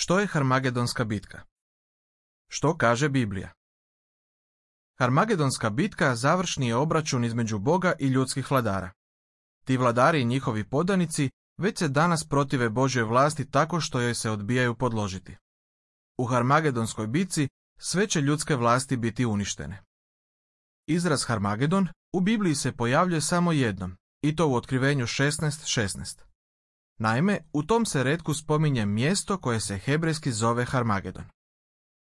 Što je Harmagedonska bitka? Što kaže Biblija? Harmagedonska bitka završni je obračun između Boga i ljudskih vladara. Ti vladari i njihovi podanici već se danas protive Božjoj vlasti tako što joj se odbijaju podložiti. U Harmagedonskoj bitci sve će ljudske vlasti biti uništene. Izraz Harmagedon u Bibliji se pojavljuje samo jednom, i to u Otkrivenju 16:16. Naime, u tom se retku spominje mjesto koje se hebrejski zove Harmagedon.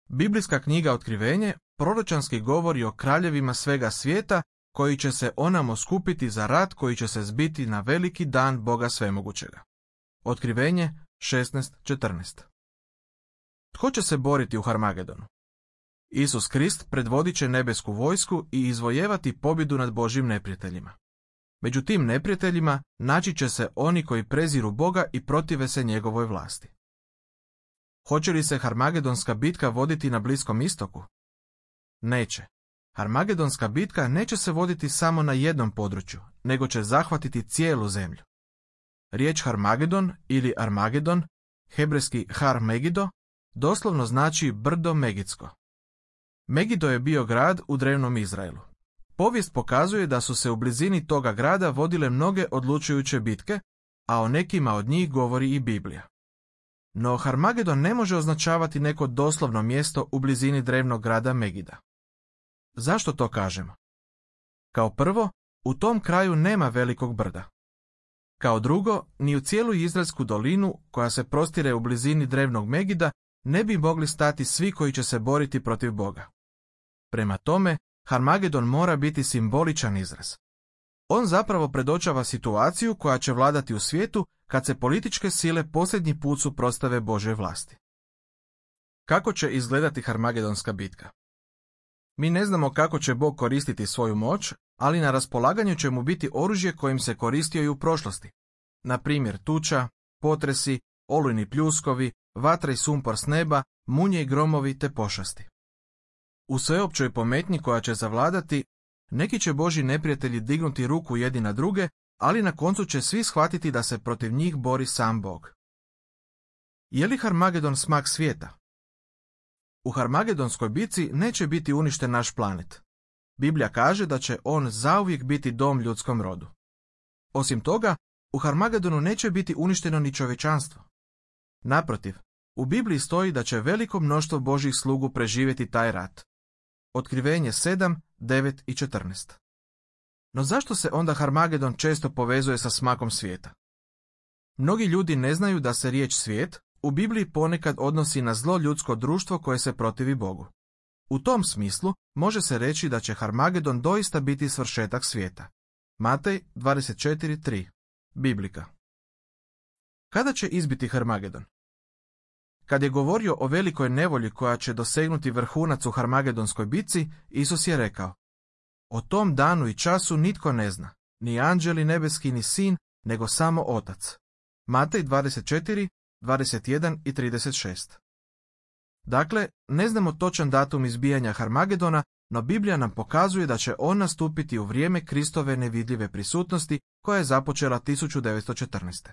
Biblijska knjiga Otkrivenje proročanski govori o kraljevima svega svijeta koji će se onamo skupiti za rat koji će se zbiti na veliki dan Boga svemogućega. Otkrivenje 16:14. Tko će se boriti u Harmagedonu? Isus Krist predvodit će nebesku vojsku i izvojevati pobjedu nad Božjim neprijateljima. Među tim neprijateljima naći će se oni koji preziru Boga i protive se njegovoj vlasti. Hoće li se Harmagedonska bitka voditi na Bliskom istoku? Neće. Harmagedonska bitka neće se voditi samo na jednom području, nego će zahvatiti cijelu zemlju. Riječ Harmagedon ili Armagedon, hebrejski Har Megido, doslovno znači brdo Megidsko. Megido je bio grad u drevnom Izraelu. Povijest pokazuje da su se u blizini toga grada vodile mnoge odlučujuće bitke, a o nekima od njih govori i Biblija. No Harmagedon ne može označavati neko doslovno mjesto u blizini drevnog grada Megida. Zašto to kažemo? Kao prvo, u tom kraju nema velikog brda. Kao drugo, ni u cijelu Izraelsku dolinu, koja se prostire u blizini drevnog Megida, ne bi mogli stati svi koji će se boriti protiv Boga. Prema tome, Harmagedon mora biti simboličan izraz. On zapravo predočava situaciju koja će vladati u svijetu kad se političke sile posljednji put suprotstave Božoj vlasti. Kako će izgledati Harmagedonska bitka? Mi ne znamo kako će Bog koristiti svoju moć, ali na raspolaganju će mu biti oružje kojim se koristio i u prošlosti. Na primjer tuča, potresi, olujni pljuskovi, vatra i sumpor s neba, munje i gromovi te pošasti. U sveopćoj pometnji koja će zavladati, neki će Božji neprijatelji dignuti ruku jedni na druge, ali na koncu će svi shvatiti da se protiv njih bori sam Bog. Je li Harmagedon smak svijeta? U Harmagedonskoj bitci neće biti uništen naš planet. Biblija kaže da će on zauvijek biti dom ljudskom rodu. Osim toga, u Harmagedonu neće biti uništeno ni čovječanstvo. Naprotiv, u Bibliji stoji da će veliko mnoštvo Božjih slugu preživjeti taj rat. Otkrivenje 7, 9 i 14. No zašto se onda Harmagedon često povezuje sa smakom svijeta? Mnogi ljudi ne znaju da se riječ svijet u Bibliji ponekad odnosi na zlo ljudsko društvo koje se protivi Bogu. U tom smislu može se reći da će Harmagedon doista biti svršetak svijeta. Matej 24:3. Biblika. Kada će izbiti Harmagedon? Kad je govorio o velikoj nevolji koja će dosegnuti vrhunac u Harmagedonskoj bitci, Isus je rekao: o tom danu i času nitko ne zna, ni anđeli nebeski ni sin, nego samo Otac. Matej 24, 21 i 36. Dakle, ne znamo točan datum izbijanja Harmagedona, no Biblija nam pokazuje da će on nastupiti u vrijeme Kristove nevidljive prisutnosti koja je započela 1914.